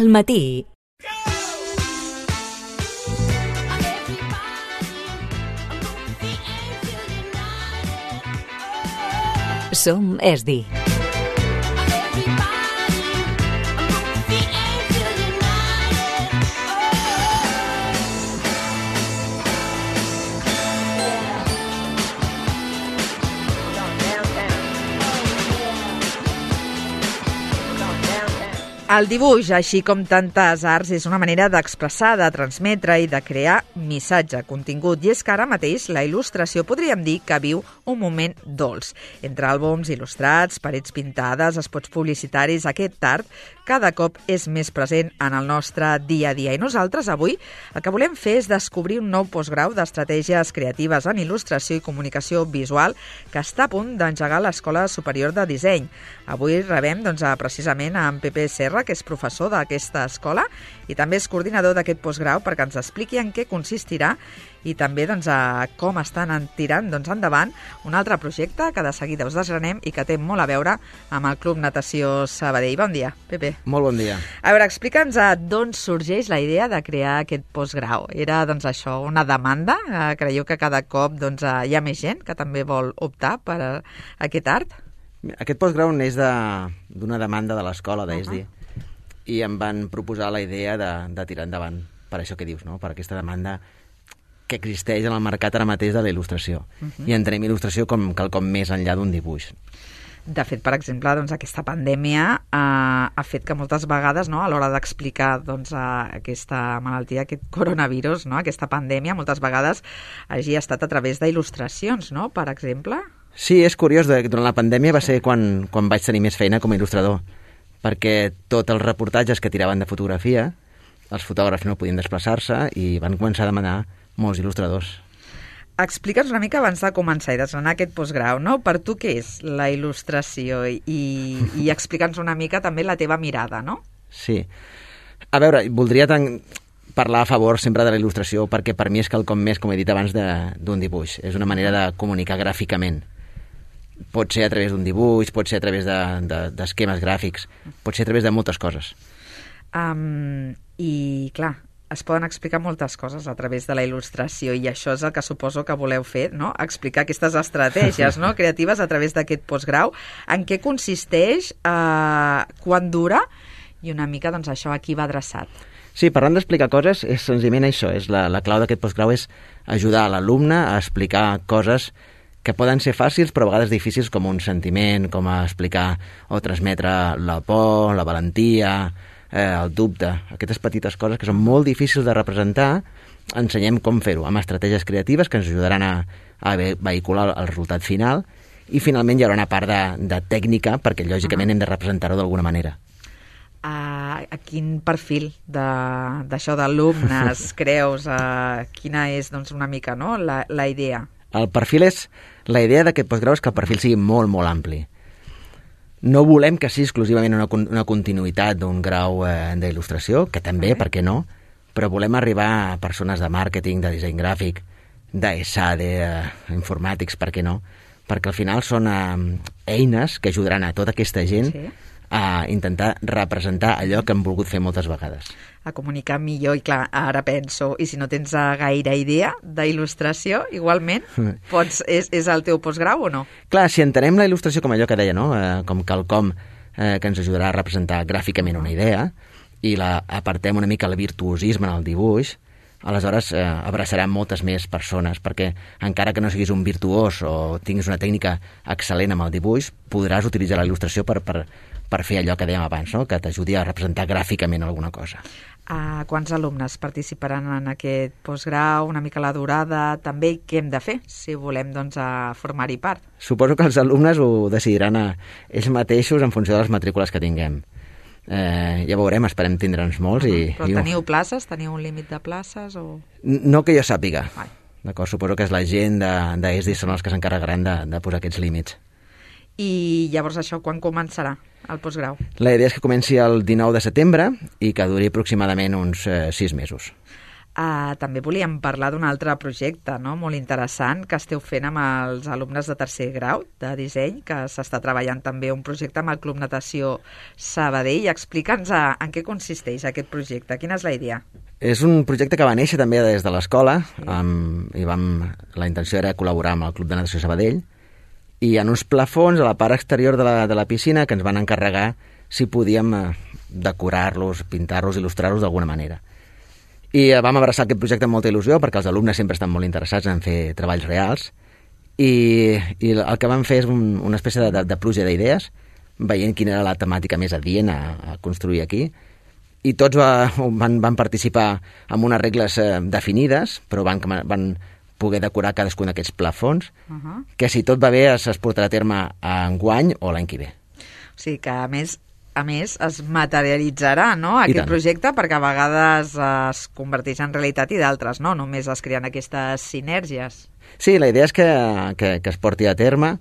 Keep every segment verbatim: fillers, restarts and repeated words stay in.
Al matí. Som Esdi. El dibuix, així com tantes arts, és una manera d'expressar, de transmetre i de crear missatge, contingut. I és que ara mateix la il·lustració podríem dir que viu un moment dolç. Entre àlbums il·lustrats, parets pintades, espots publicitaris, aquest art cada cop és més present en el nostre dia a dia. I nosaltres avui el que volem fer és descobrir un nou postgrau d'estratègies creatives en il·lustració i comunicació visual que està a punt d'engegar l'Escola Superior de Disseny. Avui rebem doncs, precisament a en Pepe Serra, que és professor d'aquesta escola i també és coordinador d'aquest postgrau, perquè ens expliqui en què consistirà i també doncs, a com estan tirant doncs, endavant un altre projecte que de seguida us desgranem i que té molt a veure amb el Club Natació Sabadell. Bon dia, Pepe. Molt bon dia. A veure, explica'ns d'on sorgeix la idea de crear aquest postgrau. Era doncs, això, una demanda? Creieu que cada cop doncs, hi ha més gent que també vol optar per a aquest art? Aquest postgrau neix d'una demanda de l'escola d'E S D I uh-huh. i em van proposar la idea de, de tirar endavant per això que dius, no? Per aquesta demanda que existeix en el mercat ara mateix de la il·lustració. Uh-huh. I entenem il·lustració com quelcom més enllà d'un dibuix. De fet, per exemple, doncs, aquesta pandèmia eh, ha fet que moltes vegades, no, a l'hora d'explicar doncs, aquesta malaltia, aquest coronavirus, no, aquesta pandèmia, moltes vegades hagi estat a través d'il·lustracions, no, per exemple? Sí, és curiós. Durant la pandèmia va ser quan, quan vaig tenir més feina com a il·lustrador, perquè tots els reportatges que tiraven de fotografia, els fotògrafs no podien desplaçar-se i van començar a demanar molts il·lustradors. Explica'ns una mica abans de començar i desgranar aquest postgrau, no? Per tu què és la il·lustració i, i explica'ns una mica també la teva mirada, no? Sí. A veure, voldria tan... parlar a favor sempre de la il·lustració perquè per mi és quelcom més, com he dit abans, d'un dibuix. És una manera de comunicar gràficament. Pot ser a través d'un dibuix, pot ser a través d'esquemes de, de, gràfics, pot ser a través de moltes coses. Um, I, clar, es poden explicar moltes coses a través de la il·lustració i això és el que suposo que voleu fer, no? Explicar aquestes estratègies no? creatives a través d'aquest postgrau. En què consisteix, uh, quan dura i una mica doncs, això a qui va adreçat? Sí, parlant d'explicar coses, és senzillament això. És la, la clau d'aquest postgrau és ajudar l'alumne a explicar coses que poden ser fàcils però a vegades difícils, com un sentiment, com a explicar o transmetre la por, la valentia, eh, el dubte, aquestes petites coses que són molt difícils de representar. Ensenyem com fer-ho amb estratègies creatives que ens ajudaran a, a vehicular el resultat final i finalment hi haurà una part de, de tècnica perquè lògicament uh-huh. hem de representar-ho d'alguna manera. A, a quin perfil d'això d'alumnes creus? A, quina és doncs, una mica no? la, la idea? El perfil és... La idea d'aquest postgrau és que el perfil sigui molt, molt ampli. No volem que sigui exclusivament una, una continuïtat d'un grau eh, d'il·lustració, que també, okay. per què no? Però volem arribar a persones de màrqueting, de disseny gràfic, d'ESADE, eh, informàtics, per què no? Perquè al final són eh, eines que ajudaran a tota aquesta gent sí. a intentar representar allò que han volgut fer moltes vegades. A comunicar millor, i clar, ara penso, i si no tens gaire idea d'il·lustració, igualment, pots, és, és el teu postgrau o no? Clar, si entenem la il·lustració com allò que deia, no? Eh, com quelcom eh, que ens ajudarà a representar gràficament una idea, i la apartem una mica el virtuosisme en el dibuix, aleshores eh, abraçarà moltes més persones, perquè encara que no siguis un virtuós o tinguis una tècnica excel·lent amb el dibuix, podràs utilitzar la il·lustració per, per, per fer allò que dèiem abans, no? Que t'ajudi a representar gràficament alguna cosa. Uh, quants alumnes participaran en aquest postgrau, una mica la durada, també què hem de fer si volem doncs, a formar-hi part? Suposo que els alumnes ho decidiran a ells mateixos en funció de les matrícules que tinguem. Eh, ja veurem, esperem tindre'ns molts. Uh-huh. i, Però i... teniu places? Teniu un límit de places? O... No que jo sàpiga. Ai. D'acord, suposo que és la gent d'E S D I són els que s'encarregaran de, de posar aquests límits. I llavors això quan començarà el postgrau? La idea és que comenci el dinou de setembre i que duri aproximadament uns eh, sis mesos. Uh, també volíem parlar d'un altre projecte, no?, molt interessant que esteu fent amb els alumnes de tercer grau de disseny, que s'està treballant també un projecte amb el Club Natació Sabadell. Explica'ns uh, en què consisteix aquest projecte, quina és la idea? És un projecte que va néixer també des de l'escola, sí. um, i vam, la intenció era col·laborar amb el Club de Natació Sabadell, i en uns plafons a la part exterior de la, de la piscina que ens van encarregar si podíem uh, decorar-los, pintar-los, il·lustrar-los d'alguna manera. I vam abraçar aquest projecte amb molta il·lusió perquè els alumnes sempre estan molt interessats en fer treballs reals i, i el que vam fer és un, una espècie de, de, de pluja d'idees, veient quina era la temàtica més adient a, a construir aquí, i tots va, van, van participar amb unes regles eh, definides, però van, van poder decorar cadascun d'aquests plafons, uh -huh. que si tot va bé es, es portarà a terme enguany o l'any que ve. O sigui que, a més, a més, es materialitzarà, no?, aquest projecte, perquè a vegades es converteix en realitat i d'altres, no? Només es creen aquestes sinergies. Sí, la idea és que, que, que es porti a terme.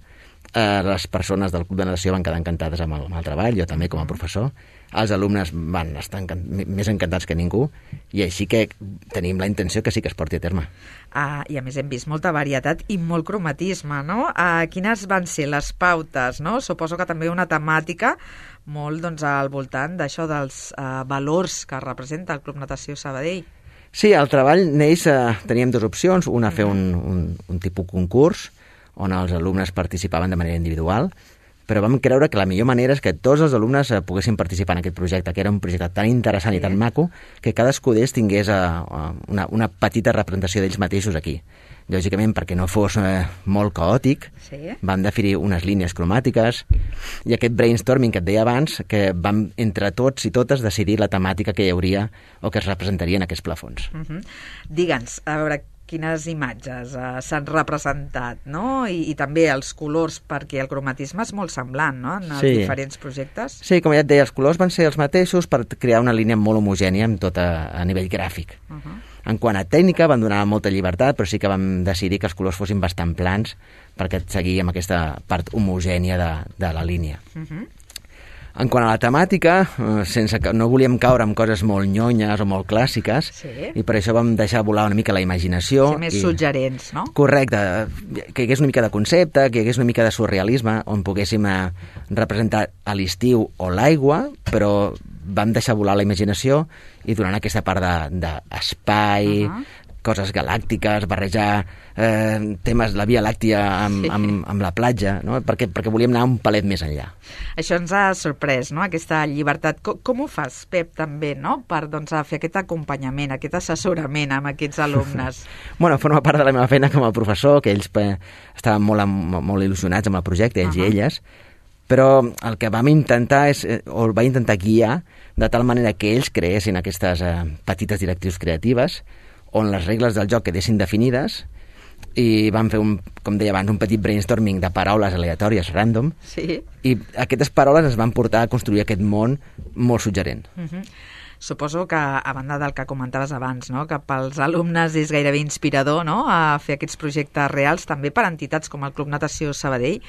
Eh, les persones del Club de Natació van quedar encantades amb el, amb el treball, jo també com a professor. Els alumnes van estar encant, més encantats que ningú, i així que tenim la intenció que sí que es porti a terme. Ah, I a més hem vist molta varietat i molt cromatisme, no? Ah, quines van ser les pautes, no? Suposo que també una temàtica molt, doncs, al voltant d'això dels uh, valors que representa el Club Natació Sabadell. Sí, el treball neix, eh, teníem dues opcions, una fer un, un, un tipus concurs on els alumnes participaven de manera individual, però vam creure que la millor manera és que tots els alumnes eh, poguessin participar en aquest projecte, que era un projecte tan interessant sí. i tan maco que cadascú d'ells tingués eh, una, una petita representació d'ells mateixos aquí. Lògicament, perquè no fos eh, molt caòtic, sí. vam definir unes línies cromàtiques i aquest brainstorming que et deia abans, que vam entre tots i totes decidir la temàtica que hi hauria o que es representaria en aquests plafons. Uh -huh. Digue'ns, a veure, quines imatges uh, s'han representat, no? I, I també els colors, perquè el cromatisme és molt semblant, no?, en els sí. diferents projectes. Sí, com ja et deia, els colors van ser els mateixos per crear una línia molt homogènia amb tot a, a nivell gràfic. Uh -huh. En quant a tècnica, van donar molta llibertat, però sí que vam decidir que els colors fossin bastant plans perquè seguíem aquesta part homogènia de, de la línia. Uh -huh. En quant a la temàtica, sense que no volíem caure en coses molt nyonyes o molt clàssiques, sí. i per això vam deixar volar una mica la imaginació. Sí, més i... suggerents, no? Correcte, que hi hagués una mica de concepte, que hi hagués una mica de surrealisme, on poguéssim eh, representar a l'estiu o l'aigua, però vam deixar volar la imaginació i donant aquesta part d'espai, de, uh -huh. coses galàctiques, barrejar eh, temes de la Via Làctia amb, sí. amb, amb la platja, no? perquè, perquè volíem anar un palet més enllà. Això ens ha sorprès, no?, aquesta llibertat. Com, com ho fas, Pep, també, no?, per doncs, fer aquest acompanyament, aquest assessorament amb aquests alumnes? Bueno, forma part de la meva feina com a professor, que ells eh, estaven molt, molt il·lusionats amb el projecte, ells uh -huh. i elles, però el que vam intentar és, o el va intentar guiar de tal manera que ells creessin aquestes eh, petites directrius creatives on les regles del joc quedessin definides, i vam fer, un, com deia abans, un petit brainstorming de paraules aleatòries, random, sí. i aquestes paraules ens van portar a construir aquest món molt suggerent. Uh -huh. Suposo que, a banda del que comentaves abans, no?, que pels alumnes és gairebé inspirador, no?, a fer aquests projectes reals, també per entitats com el Club Natació Sabadell,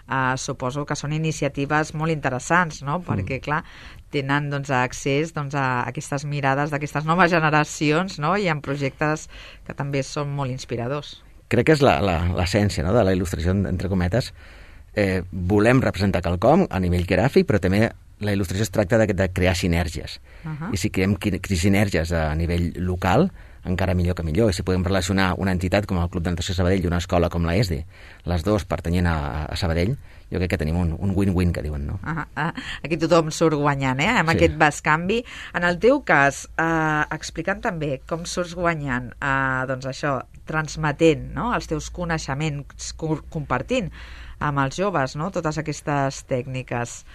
eh, suposo que són iniciatives molt interessants, no?, perquè, mm. clar, tenen doncs, accés doncs, a aquestes mirades d'aquestes noves generacions, no?, i en projectes que també són molt inspiradors. Crec que és l'essència, no?, de la il·lustració, entre cometes. Eh, volem representar quelcom a nivell gràfic, però també la il·lustració es tracta de, de crear sinergies. Uh -huh. I si creem sinergies a nivell local, encara millor que millor. I si podem relacionar una entitat com el Club de Natació Sabadell i una escola com l'E S D, les dues pertanyent a, a Sabadell, jo crec que tenim un, un win-win, que diuen, no? Uh -huh. Aquí tothom surt guanyant, eh?, amb sí. aquest bescanvi. En el teu cas, eh, explicant també com surts guanyant, eh, doncs això, transmetent, no?, els teus coneixements, compartint amb els joves, no?, totes aquestes tècniques.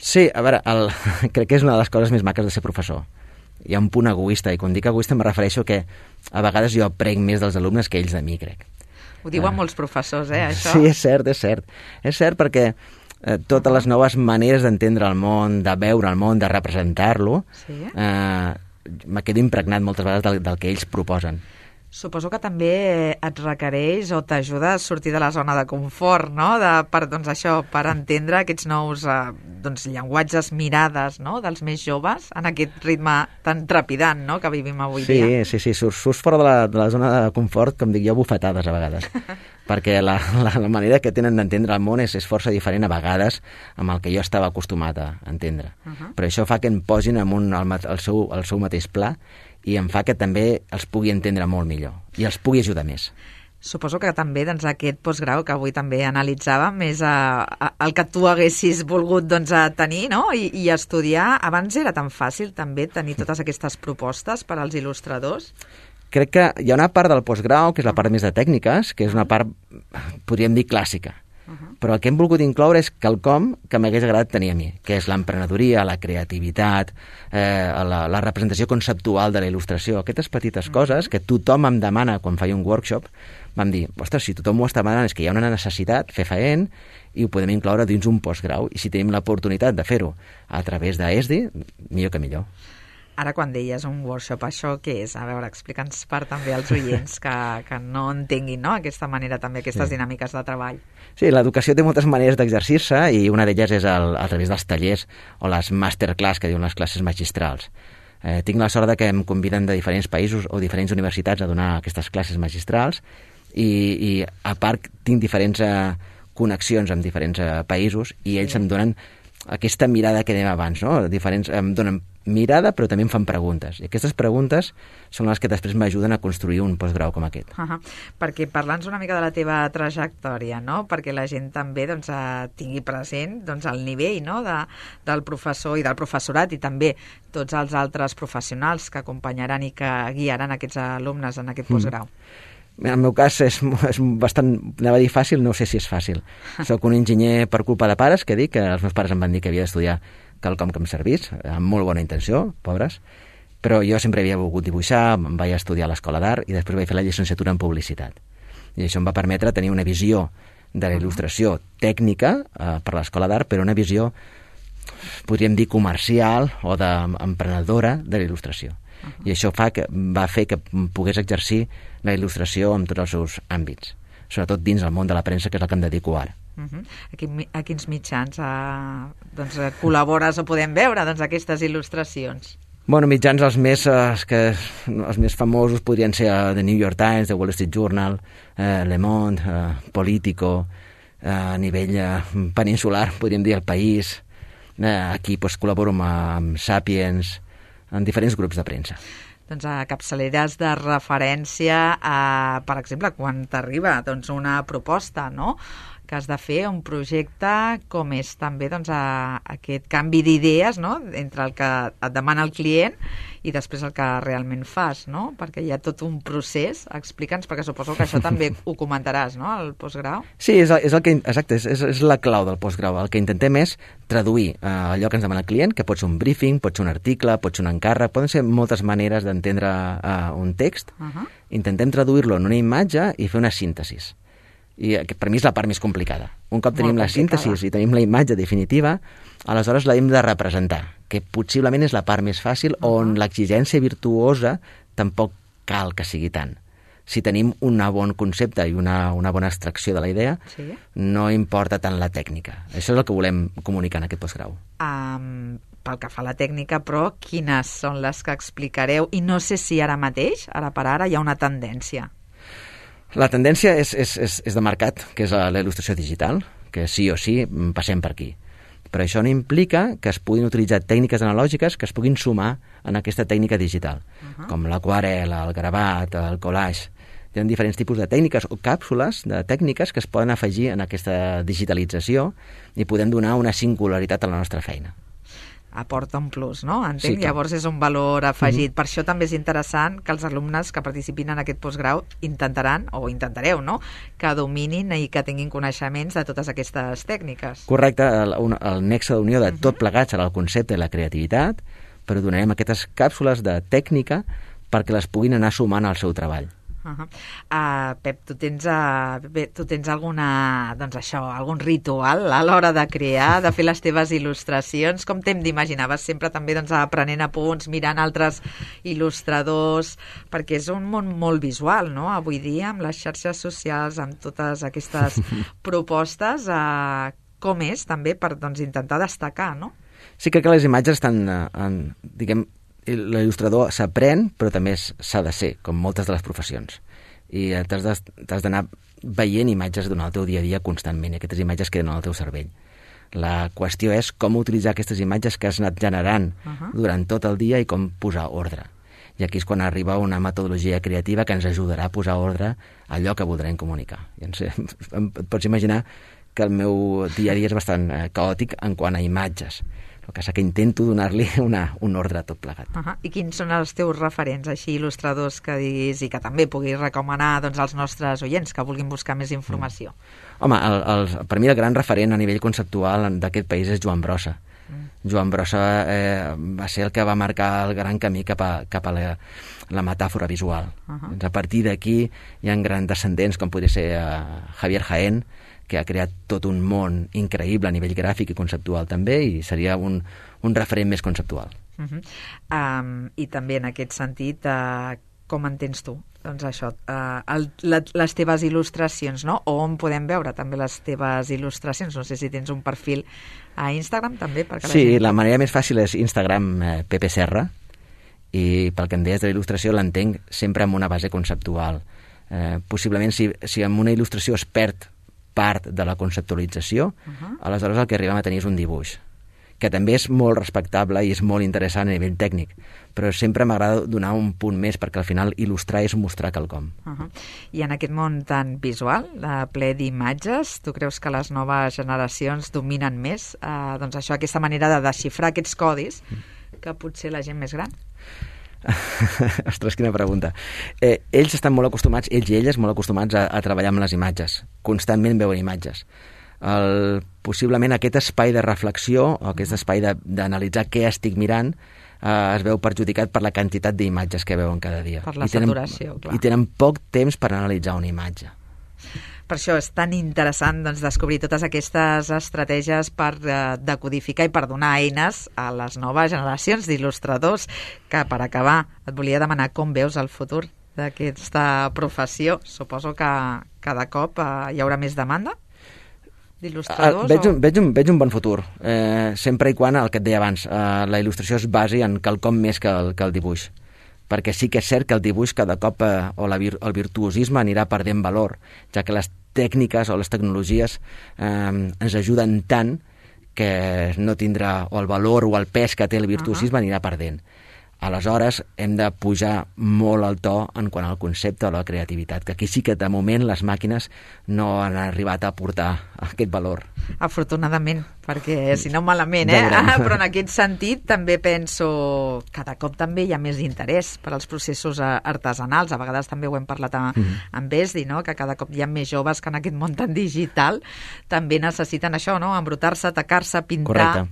Sí, a veure, el, crec que és una de les coses més maques de ser professor. Hi ha un punt egoista, i quan dic egoista em refereixo que a vegades jo aprenc més dels alumnes que ells de mi, crec. Ho diuen uh, molts professors, eh, això? Sí, és cert, és cert. És cert perquè eh, totes les noves maneres d'entendre el món, de veure el món, de representar-lo, sí. eh, me quedo impregnat moltes vegades del, del que ells proposen. Suposo que també et requereix o t'ajuda a sortir de la zona de confort, no? De, per, doncs això, per entendre aquests nous eh, doncs, llenguatges, mirades, no? Dels més joves en aquest ritme tan trepidant, no? Que vivim avui sí, dia. Sí, sí, surts, surts fora de la, de la zona de confort, com dic jo, bufetades a vegades. Perquè la, la, la manera que tenen d'entendre el món és, és força diferent a vegades amb el que jo estava acostumat a entendre. Uh -huh. Però això fa que em posin en un, el, el, seu, el seu mateix pla i em fa que també els pugui entendre molt millor i els pugui ajudar més. Suposo que també doncs, aquest postgrau que avui també analitzàvem és a, a, el que tu haguessis volgut doncs, a tenir, no? I, i estudiar. Abans era tan fàcil també tenir totes aquestes propostes per als il·lustradors? Crec que hi ha una part del postgrau, que és la part més de tècniques, que és una part, podríem dir, clàssica. Uh-huh. Però el que hem volgut incloure és quelcom que m'hagués agradat tenir a mi, que és l'emprenedoria, la creativitat, eh, la, la representació conceptual de la il·lustració, aquestes petites uh-huh. coses que tothom em demana quan faig un workshop. Vam dir, ostres, si tothom ho està demanant és que hi ha una necessitat fefaent i ho podem incloure dins un postgrau, i si tenim l'oportunitat de fer-ho a través d'ESDI, millor que millor. Ara, quan deies un workshop, això què és? A veure, explica'ns per també als oients que, que no entenguin, no?, aquesta manera, també aquestes sí. dinàmiques de treball. Sí, l'educació té moltes maneres d'exercir-se i una d'elles és el, a través dels tallers o les masterclass, que diuen les classes magistrals. Eh, tinc la sort de que em conviden de diferents països o diferents universitats a donar aquestes classes magistrals i, i a part tinc diferents eh, connexions amb diferents eh, països i ells sí. em donen aquesta mirada que dèiem abans, no? Diferents, em donen mirada, però també em fan preguntes. I aquestes preguntes són les que després m'ajuden a construir un postgrau com aquest. Uh -huh. Perquè parla'ns una mica de la teva trajectòria, no? Perquè la gent també doncs, eh, tingui present doncs, el nivell, no? de, del professor i del professorat i també tots els altres professionals que acompanyaran i que guiaran aquests alumnes en aquest postgrau. Mm. En el meu cas és, és bastant, anava a dir fàcil, no sé si és fàcil. Soc un enginyer per culpa de pares, que dic, que els meus pares em van dir que havia d'estudiar quelcom que em servís, amb molt bona intenció, pobres, però jo sempre havia volgut dibuixar, em vaig estudiar a l'Escola d'Art i després vaig fer la llicenciatura en Publicitat. I això em va permetre tenir una visió de la il·lustració tècnica eh, per l'Escola d'Art, però una visió, podríem dir, comercial o d'emprenedora de la il·lustració. Uh-huh. I això fa que, va fer que pogués exercir la il·lustració en tots els seus àmbits, sobretot dins el món de la premsa, que és el que em dedico ara. Uh-huh. A, quin, a quins mitjans uh, doncs, col·labores o podem veure doncs, aquestes il·lustracions? Bueno, mitjans els més, eh, que, els més famosos podrien ser uh, The New York Times, The Wall Street Journal, eh, Le Monde, eh, Politico, eh, a nivell eh, peninsular, podríem dir El País. Eh, aquí pues, col·laboro amb, amb Sapiens, en diferents grups de premsa. Doncs a capçaleres de referència a, per exemple, quan t'arriba doncs, una proposta, no?, que has de fer un projecte com és també doncs, a, aquest canvi d'idees, no?, entre el que et demana el client i després el que realment fas, no?, perquè hi ha tot un procés. Explica'ns, perquè suposo que això també ho comentaràs, no?, al postgrau. Sí, és el, és el que, exacte, és, és la clau del postgrau. El que intentem és traduir eh, allò que ens demana el client, que pot ser un briefing, pot ser un article, pot ser un encàrrec, poden ser moltes maneres d'entendre eh, un text. Uh-huh. Intentem traduir-lo en una imatge i fer una síntesis. I per mi és la part més complicada. Un cop tenim la síntesi i tenim la imatge definitiva, aleshores l'hem de representar, que possiblement és la part més fàcil, uh-huh. on l'exigència virtuosa tampoc cal que sigui tant. Si tenim un bon concepte i una, una bona extracció de la idea, sí. no importa tant la tècnica. Això és el que volem comunicar en aquest postgrau. Um, pel que fa a la tècnica, però, quines són les que explicareu? I no sé si ara mateix, ara per ara, hi ha una tendència. La tendència és, és, és, és de mercat, que és la, la il·lustració digital, que sí o sí passem per aquí. Però això no implica que es puguin utilitzar tècniques analògiques que es puguin sumar en aquesta tècnica digital, uh-huh. com l'aquarel, el gravat, el collage. Hi ha diferents tipus de tècniques o càpsules de tècniques que es poden afegir en aquesta digitalització i podem donar una singularitat a la nostra feina. Aporta un plus, no? Entenc? Sí, llavors és un valor afegit. Mm-hmm. Per això també és interessant que els alumnes que participin en aquest postgrau intentaran, o intentareu, no?, que dominin i que tinguin coneixements de totes aquestes tècniques. Correcte, el, el nexe d'unió de tot plegat serà el concepte de la creativitat, però donarem aquestes càpsules de tècnica perquè les puguin anar sumant al seu treball. Uh -huh. uh, Pep, tu tens, uh, bé, tu tens alguna, doncs això, algun ritual a l'hora de crear, de fer les teves il·lustracions? Com t'hem d'imaginar? Vas sempre també doncs, aprenent apunts, mirant altres il·lustradors, perquè és un món molt visual, no?, avui dia, amb les xarxes socials, amb totes aquestes propostes, uh, com és també per doncs, intentar destacar, no? Sí, crec que les imatges estan, eh, en, diguem, l'il·lustrador s'aprèn, però també s'ha de ser, com moltes de les professions. I t'has d'anar veient imatges durant el teu dia a dia constantment, i aquestes imatges queden al teu cervell. La qüestió és com utilitzar aquestes imatges que has anat generant uh -huh. durant tot el dia i com posar ordre. I aquí és quan arriba una metodologia creativa que ens ajudarà a posar ordre a allò que voldrem comunicar. I ens, et pots imaginar que el meu dia a dia és bastant eh, caòtic en quant a imatges. El que és que intento donar-li una, un ordre a tot plegat. Uh -huh. I quins són els teus referents, així, il·lustradors que diguis i que també puguis recomanar doncs, als nostres oients que vulguin buscar més informació? Mm. Home, el, el, per mi el gran referent a nivell conceptual d'aquest país és Joan Brossa. Mm. Joan Brossa eh, va ser el que va marcar el gran camí cap a, cap a la, la metàfora visual. Uh -huh. A partir d'aquí hi ha grans descendents, com podria ser eh, Javier Jaén, que ha creat tot un món increïble a nivell gràfic i conceptual també, i seria un, un referent més conceptual. Uh -huh. um, I també en aquest sentit, uh, com entens tu? Doncs això, uh, el, la, les teves il·lustracions, no? O on podem veure també les teves il·lustracions? No sé si tens un perfil a Instagram també? Perquè Sí, la, gent... la manera més fàcil és Instagram eh, Pepe Serra, i pel que em deies de la il·lustració l'entenc sempre amb una base conceptual. Eh, possiblement si, si amb una il·lustració es perd part de la conceptualització, uh -huh. aleshores el que arribem a tenir és un dibuix, que també és molt respectable i és molt interessant a nivell tècnic, però sempre m'agrada donar un punt més, perquè al final il·lustrar és mostrar quelcom. Uh -huh. I en aquest món tan visual, de ple d'imatges, tu creus que les noves generacions dominen més eh, doncs això, aquesta manera de desxifrar aquests codis que potser la gent més gran? Ostres, quina pregunta. Eh, ells estan molt acostumats, ells i elles, molt acostumats a, a treballar amb les imatges. Constantment veuen imatges. El, possiblement aquest espai de reflexió o aquest espai d'analitzar què estic mirant eh, es veu perjudicat per la quantitat d'imatges que veuen cada dia. Per la I tenen, saturació, clar. I tenen poc temps per analitzar una imatge. Per això és tan interessant doncs, descobrir totes aquestes estratègies per eh, decodificar i per donar eines a les noves generacions d'il·lustradors, que per acabar et volia demanar com veus el futur d'aquesta professió. Suposo que cada cop eh, hi haurà més demanda d'il·lustradors? Uh, veig, o... un, veig, un, veig un bon futur, eh, sempre i quan, el que et deia abans, eh, la il·lustració es basi en quelcom més que el, que el dibuix. Perquè sí que és cert que el dibuix cada cop, eh, o la vir, el virtuosisme anirà perdent valor, ja que les tècniques o les tecnologies eh, ens ajuden tant que no tindrà o el valor o el pes que té el virtuosisme uh -huh. anirà perdent. Aleshores, hem de pujar molt el to en quant al concepte o la creativitat, que aquí sí que de moment les màquines no han arribat a aportar aquest valor. Afortunadament, perquè si no malament, eh? Però en aquest sentit també penso que cada cop també hi ha més interès per als processos artesanals. A vegades també ho hem parlat amb, mm -hmm. amb Esdi, no? Que cada cop hi ha més joves que en aquest món tan digital també necessiten això, no? Embrutar-se, tacar-se, pintar... Correcte.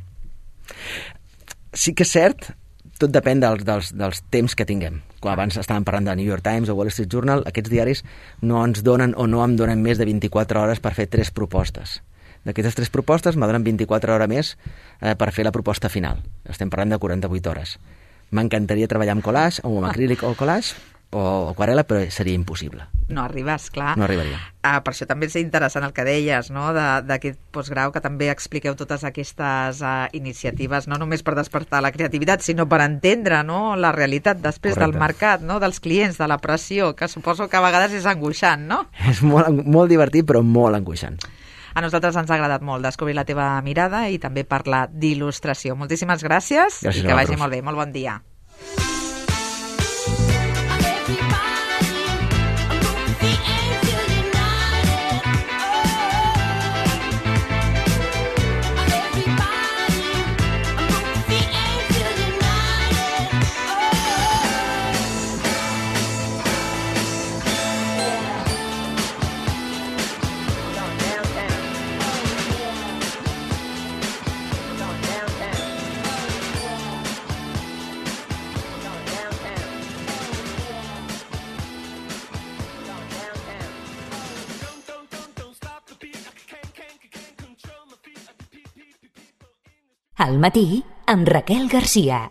Sí que és cert, tot depèn dels, dels, dels temps que tinguem. Quan abans estàvem parlant de New York Times o Wall Street Journal, aquests diaris no ens donen o no em donen més de vint-i-quatre hores per fer tres propostes. D'aquestes tres propostes me donen vint-i-quatre hores més eh, per fer la proposta final. Estem parlant de quaranta-vuit hores. M'encantaria treballar amb collage, o amb acrílic o collage, o aquarela, però seria impossible. No arribes, clar. No arribaria. Ah, per això també és interessant el que deies, no?, d'aquest postgrau, que també expliqueu totes aquestes uh, iniciatives, no només per despertar la creativitat, sinó per entendre, no?, la realitat després Correcte. Del mercat, no?, dels clients, de la pressió, que suposo que a vegades és angoixant, no? És molt, molt divertit, però molt angoixant. A nosaltres ens ha agradat molt descobrir la teva mirada i també parlar d'il·lustració. Moltíssimes gràcies, gràcies i que vagi molt bé. Molt bon dia. Al matí, amb Raquel Garcia.